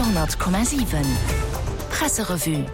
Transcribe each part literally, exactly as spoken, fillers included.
Radio honnert Komma siwen Presserevue.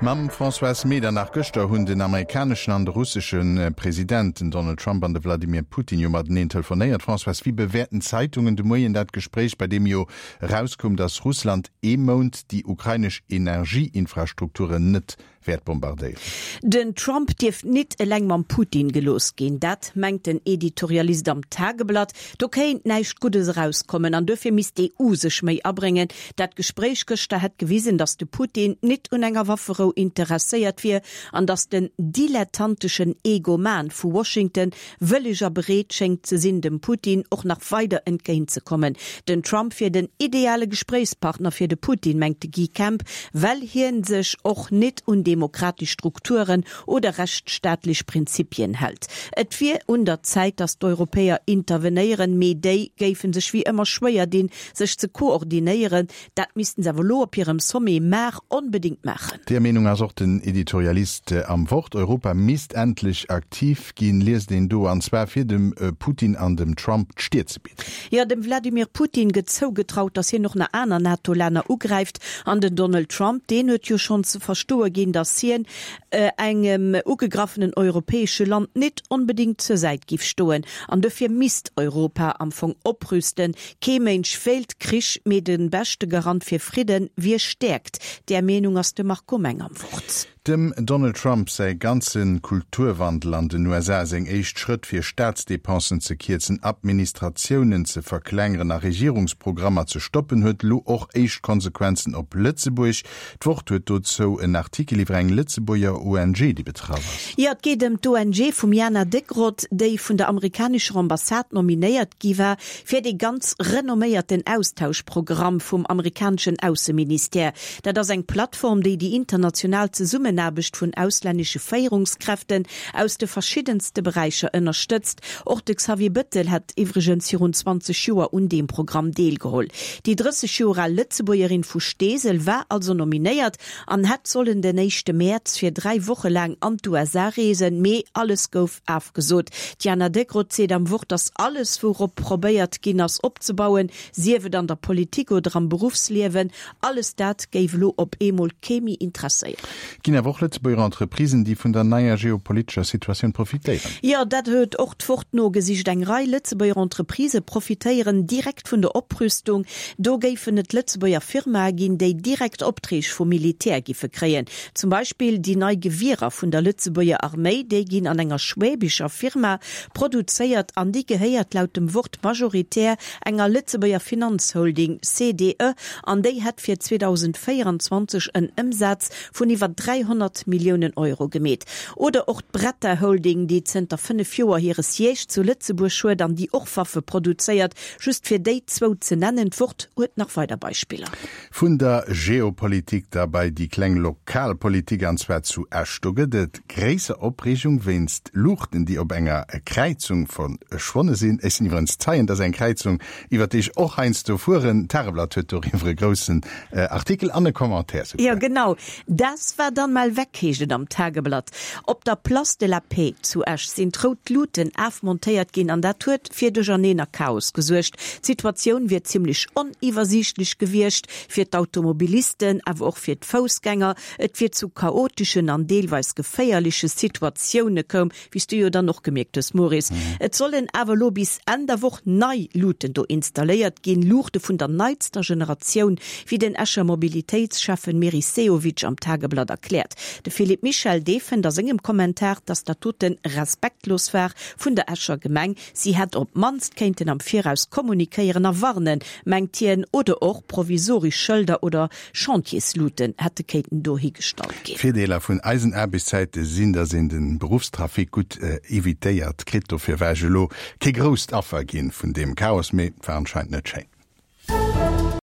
Mam Françoise Medernach. Gëschter hunn den amerikaneschen an de russesche President, den Donald Trump an de Wladimir Putin, jo mateneen telefonéiert. Françoise, wéi bewäerten d'Zeitungen de Moien dat Gespréich, bei deem jo erauskoum, datt Russland ee Mount déi ukrainesch Energieinfrastrukturen net wäert bombardéieren? Den Trump dierft nit eleng mam Putin gelooss ginn, dat mengt den Editorialist am Tageblatt. Do kéint näischt Guddes erauskommen an duerfir misst d'E U sech méi abréngen. Dat Gespréich gëschter hätt gewisen, datt de Putin nit un enger Wafferou interesséiert wier an datt den dilettanteschen Egoman vu Washington wëlleg a bereet schéngt ze sinn, dem Putin och nach weider entgéint ze kommen. Den Trump wier den ideale Gespréichspartner fir de Putin, mengt de Guy Kemp, well hien sech och nit un demokratesch Strukturen oder rechtsstaatlech Prinzipien hält. Et wier un der Zäit, datt d'Europäer intervenéieren, mee déi géife sech wéi ëmmer schwéier dinn, sech ze koordinéieren. Dat missten se awer elo op hirem Sommet mar onbedéngt maachen. Där Meenung ass och den Editorialist am Wort. Europa misst endlech aktiv ginn, liest een do, an zwar fir dem Putin an dem Trump d'Stier ze bidden. Jo, dem Wladimir Putin gëtt zougetraut, datt hien och nach aner NATO-Länner ugräift. An den Donald Trump, deen huet jo schonn ze verstoe ginn, datt hien engem ugegraffenen europäesche Land nit onbedéngt zur Säit giff stoen. An dofir misst Europa am Fong oprüsten. Kee Mënsch wéilt Krich, mee de beschte Garant fir Fridden wier Stäerkt. Där Meenung ass de Marco Meng am Wort. Dem Donald Trump säi ganze Kulturwandel an den U S A, seng éischt Schrëtt fir Staatsdepensen ze kierzen, Administratiounen ze verklengeren a Regierungsprogrammer ze stoppen, huet elo och éischt Konsequenzen op Lëtzebuerg. D'Wort huet dozou en Artikel iwwer eng Lëtzebuerger O N G, déi betraff ass. Jo, et geet ëm d'O N G vum Jana Deckroth, déi vun der amerikanescher Ambassade nominéiert gi war fir dee ganz renomméierten Austauschprogramm vum amerikaneschen Ausseministère. Dat ass eng Plattform, déi déi international Zesummenaarbecht vun auslännesche Féierungskräften aus de verschiddenste Beräicher ënnerstëtzt. Och de Xavier Bettel hätt iwwregens virun zwanzeg Joer un deem Programm deelgeholl. Déi drësseg Joer al Lëtzebuergerin vu Steesel war also nominéiert an hätt sollen den éischte Mäerz fir dräi Woche laang an d'U S A reesen, mee alles gouf afgesot. D'Jana Deckroth seet am Wort, datt alles, wourop probéiert ginn ass opzebauen, sief et an der Politik oder am Beruffsliewen, alles dat géif elo op eemol kee méi interesséieren. Ginn awer och Lëtzebuerger Entreprisen, déi vun der neier geopolitescher Situatioun profitéieren? Jo, dat huet och d'Wort nogesicht. Eng Rei Lëtzebuerger Entreprisë profitéieren direkt vun der Oprüstung. Do géifen et Lëtzebuerger Firmae ginn, déi direkt Opträg vum Militär giffe kréien. Zum Beispill déi nei Gewierer vun der Lëtzebuerger Arméi, déi ginn an enger schwäbischer Firma produzéiert an déi gehéiert laut dem Wort majoritär enger Lëtzebuerger Finanzholding, C D E, an déi hätt fir zweedausendvéieranzwanzeg en Ëmsaz vun iwwer dräihonnert Milliounen Euro gemeet. Oder och d'Bretta Holding, déi zënter fënnef Joer hire Siège zu Lëtzebuerg huet an déi och Waffe produzéiert. Just fir déi zwou ze nennen, d'Wort huet nach weider Beispiller. Vun der Geopolitik da bei déi kleng Lokalpolitik, an zwar zu Esch. Do gëtt et gréisser Opreegung wéinst Luuchten, déi op enger Kräizung verschwonne sinn. Ech sinn iwwerens Zeien, dass eng Kräizung, iwwer déi ech och heiansdo fueren. D'Tageblatt huet doriwwer e groussen Artikel an e Commentaire souguer. Jo, genau. Das war dann mal weg, heescht et am Tageblatt. Op der Place de la Paix zu Esch sinn d'rout Luuten afmontéiert ginn an dat huet fir Duercherneen a Chaos gesuergt. D'Situatioun wier zimmlech oniwwersiichtlech gewiescht fir d'Automobilisten, awer och fir d'Foussgänger. Et wier zu chaoteschen an deelweis geféierleche Situatioune koum, wéi s du jo dann och gemierkt hues, Maurice. Et sollen awer elo bis Enn der Woch nei Luuten do installéiert ginn, Luuchte vun der neitster Generatioun, wéi den Escher Mobilitéitscheffen Meris Sehovic am Tageblatt erkläert. De Philippe Michel, dee fënnt a sengem Kommentar, dass dat doten respektlos war vun der Escher Gemeng. Si hätt op d'mannst kéinten am Viraus kommunikéieren a warnen, mengt hien, oder och provisorisch Schëlder oder Chantiersluten hätte kéinten do higestallt ginn. D'Virdeeler vun eisen Aarbechtszäite sinn, dass een den Beruffstrafic gutt evitéiert kritt. Dofir war ech elo kee grousst Affer ginn vun deem Chaos, mee war anscheinend net schéin.